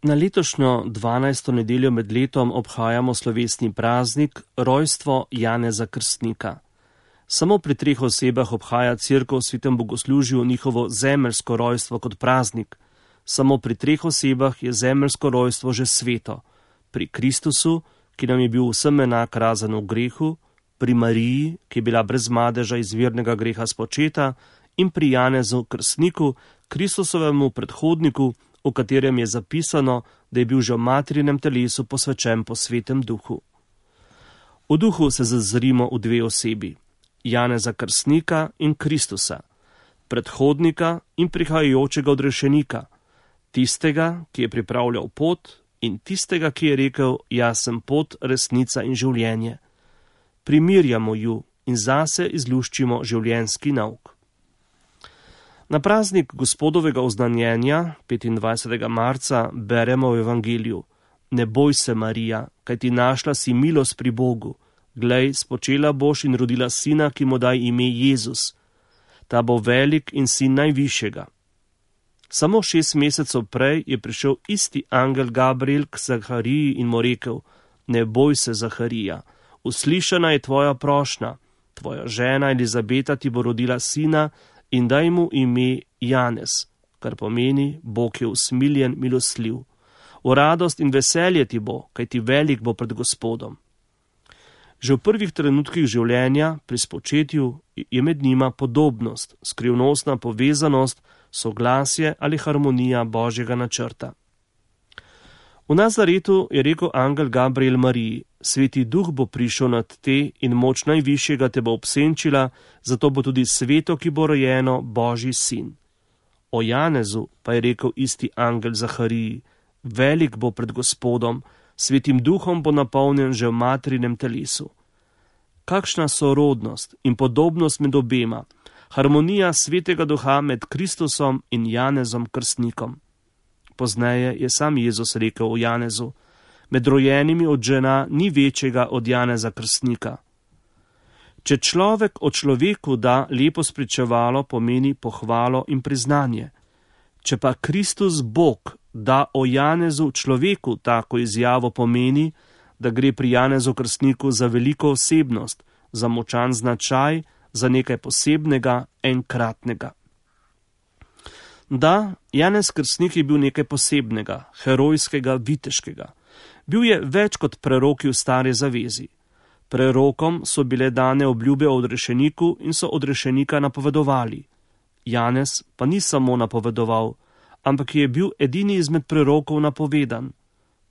Na letošnjo 12. nedeljo med letom obhajamo slovesni praznik rojstvo Janeza Krstnika. Samo pri 3 osebah obhaja Cerkev v svetem bogoslužju njihovo zemeljsko rojstvo kot praznik. Samo pri 3 osebah je zemeljsko rojstvo že sveto. Pri Kristusu, ki nam je bil vsem enak razen v grehu, pri Mariji, ki je bila brez madeža izvirnega greha spočeta, in pri Janezu Krstniku, Kristusovemu predhodniku, v katerem je zapisano, da je bil že v materinem telesu posvečen po svetem duhu. V duhu se zazrimo v 2 osebi, Janeza Krstnika in Kristusa, predhodnika in prihajajočega odrešenika, tistega, ki je pripravljal pot, in tistega, ki je rekel, jaz sem pot, resnica in življenje. Primirjamo ju in zase izluščimo življenjski nauk. Na praznik Gospodovega oznanjenja, 25. marca, beremo v Evangeliju: Ne boj se, Marija, kajti našla si milost pri Bogu. Glej, spočela boš in rodila sina, ki mu daj ime Jezus. Ta bo velik in sin najvišjega. Samo 6 mesecev prej je prišel isti angel Gabriel k Zahariji in mu rekel: Ne boj se, Zaharija, uslišana je tvoja prošnja, tvoja žena Elizabeta ti bo rodila sina in daj mu ime Janez, kar pomeni, Bog je usmiljen, milostljiv. V radost in veselje ti bo, kajti velik bo pred Gospodom. Že v prvih trenutkih življenja, pri spočetju, je med njima podobnost, skrivnostna povezanost, soglasje ali harmonija Božjega načrta. V Nazaretu je rekel angel Gabriel Mariji: Sveti duh bo prišel nad te in moč najvišjega te bo obsenčila, zato bo tudi sveto, ki bo rojeno, Božji sin. O Janezu pa je rekel isti angel Zahariji: Velik bo pred Gospodom, svetim duhom bo napolnjen že v materinem telesu. Kakšna sorodnost in podobnost med obema, harmonija svetega duha med Kristusom in Janezom Krstnikom. Pozneje je sam Jezus rekel o Janezu: Med rojenimi od žena ni večjega od Janeza Krstnika. Če človek o človeku da lepo spričevalo, pomeni pohvalo in priznanje. Če pa Kristus Bog da o Janezu človeku tako izjavo, pomeni, da gre pri Janezu Krstniku za veliko osebnost, za močan značaj, za nekaj posebnega, enkratnega. Da, Janez Krstnik je bil nekaj posebnega, herojskega, viteškega. Bil je več kot preroki v stari zavezi. Prerokom so bile dane obljube o odrešeniku in so odrešenika napovedovali. Janez pa ni samo napovedoval, ampak je bil edini izmed prerokov napovedan.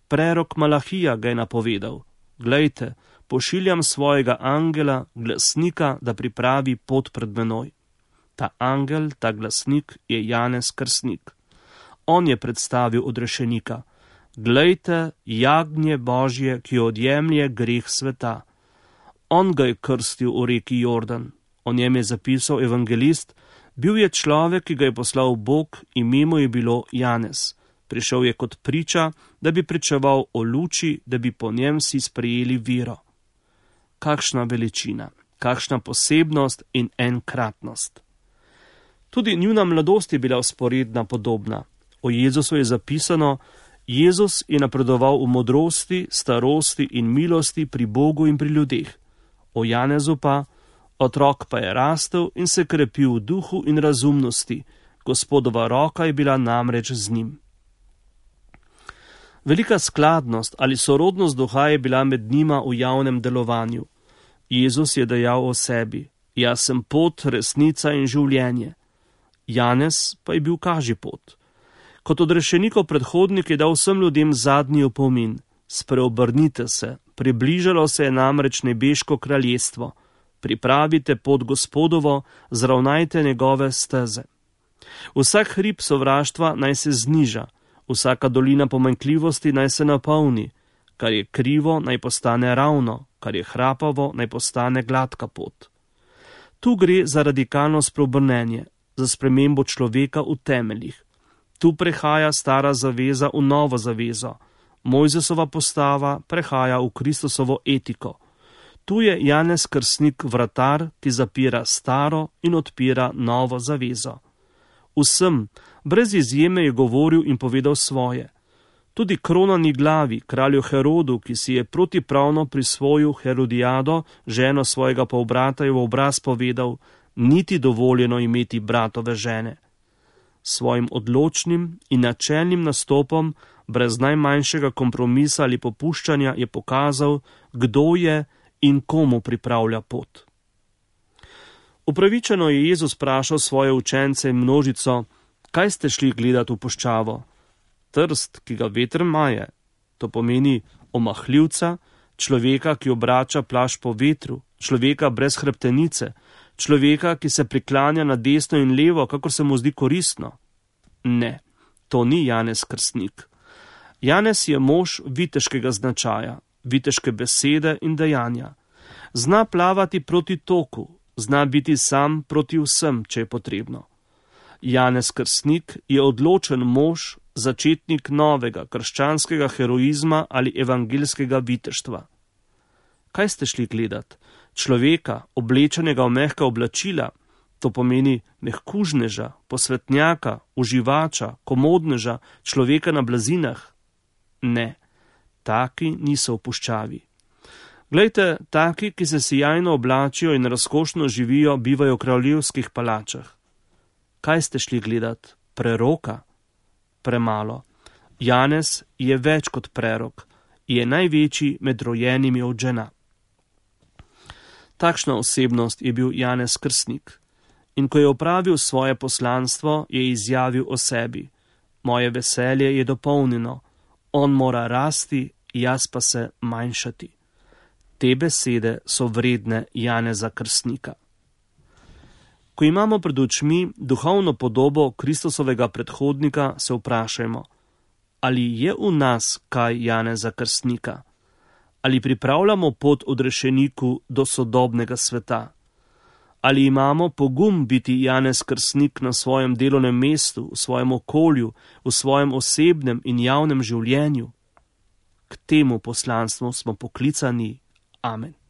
Prerok Malahija ga je napovedal: Glejte, pošiljam svojega angela, glasnika, da pripravi pot pred menoj. Ta angel, ta glasnik je Janez Krstnik. On je predstavil odrešenika: Glejte, jagnje Božje, ki odjemlje greh sveta. On ga je krstil v reki Jordan. O njem je zapisal evangelist: Bil je človek, ki ga je poslal Bog, ime mu je bilo Janez. Prišel je kot priča, da bi pričeval o luči, da bi po njem si sprejeli vero. Kakšna veličina, kakšna posebnost in enkratnost. Tudi njuna mladost je bila vzporedna, podobna. O Jezusu je zapisano: Jezus je napredoval v modrosti, starosti in milosti pri Bogu in pri ljudeh. O Janezu pa: Otrok pa je rastel in se krepil v duhu in razumnosti, Gospodova roka je bila namreč z njim. Velika skladnost ali sorodnost duha je bila med njima v javnem delovanju. Jezus je dejal o sebi: Jaz sem pot, resnica in življenje. Janez pa je bil kažipot. Kot odrešenikov predhodnik je dal vsem ljudem zadnji opomin: Spreobrnite se, približalo se je namreč nebeško kraljestvo. Pripravite pot Gospodovo, zravnajte njegove steze. Vsak hrib sovraštva naj se zniža, vsaka dolina pomanjkljivosti naj se napolni, kar je krivo naj postane ravno, kar je hrapavo naj postane gladka pot. Tu gre za radikalno spreobrnenje, za spremembo človeka v temeljih. Tu prehaja stara zaveza v novo zavezo. Mojzesova postava prehaja v Kristusovo etiko. Tu je Janez Krstnik vratar, ki zapira staro in odpira novo zavezo. Vsem, brez izjeme, je govoril in povedal svoje. Tudi kronani glavi, kralju Herodu, ki si je protipravno prisvojil Herodijado, ženo svojega polbrata, je v obraz povedal, niti dovoljeno imeti bratove žene. Svojim odločnim in načelnim nastopom, brez najmanjšega kompromisa ali popuščanja, je pokazal, kdo je in komu pripravlja pot. Upravičeno je Jezus vprašal svoje učence in množico, kaj ste šli gledati v puščavo? Trst, ki ga veter maje, to pomeni omahljivca, človeka, ki obrača plašč po vetru, človeka brez hrbtenice, človeka, ki se priklanja na desno in levo, kakor se mu zdi koristno. Ne, to ni Janez Krstnik. Janez je mož viteškega značaja, viteške besede in dejanja. Zna plavati proti toku, zna biti sam proti vsem, če je potrebno. Janez Krstnik je odločen mož, začetnik novega krščanskega heroizma ali evangeljskega viteštva. Kaj ste šli gledat? Človeka, oblečenega v mehka oblačila, to pomeni mehkužneža, posvetnjaka, uživača, komodneža, človeka na blazinah? Ne, taki niso v puščavi. Glejte, taki, ki se sijajno oblačijo in razkošno živijo, bivajo v kraljevskih palačah. Kaj ste šli gledat? Preroka? Premalo. Janez je več kot prerok, je največji med rojenimi od žena. Takšna osebnost je bil Janez Krstnik. In ko je opravil svoje poslanstvo, je izjavil o sebi. Moje veselje je dopolnjeno, on mora rasti, jaz pa se manjšati. Te besede so vredne Janeza Krstnika. Ko imamo pred očmi duhovno podobo Kristusovega predhodnika, se vprašajmo, ali je v nas kaj Janeza Krstnika? Ali pripravljamo pot odrešeniku do sodobnega sveta? Ali imamo pogum biti Janez Krstnik na svojem delovnem mestu, v svojem okolju, v svojem osebnem in javnem življenju? K temu poslanstvu smo poklicani. Amen.